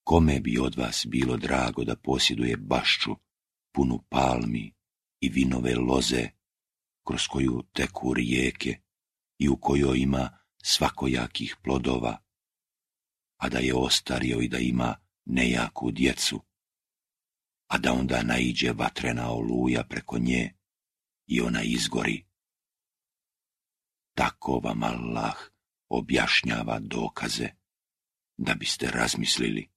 Kome bi od vas bilo drago da posjeduje bašču punu palmi i vinove loze, kroz koju teku rijeke i u kojoj ima svakojakih plodova, a da je ostario i da ima nejaku djecu, a da onda naiđe vatrena oluja preko nje i ona izgori. Tako vam Allah objašnjava dokaze, da biste razmislili.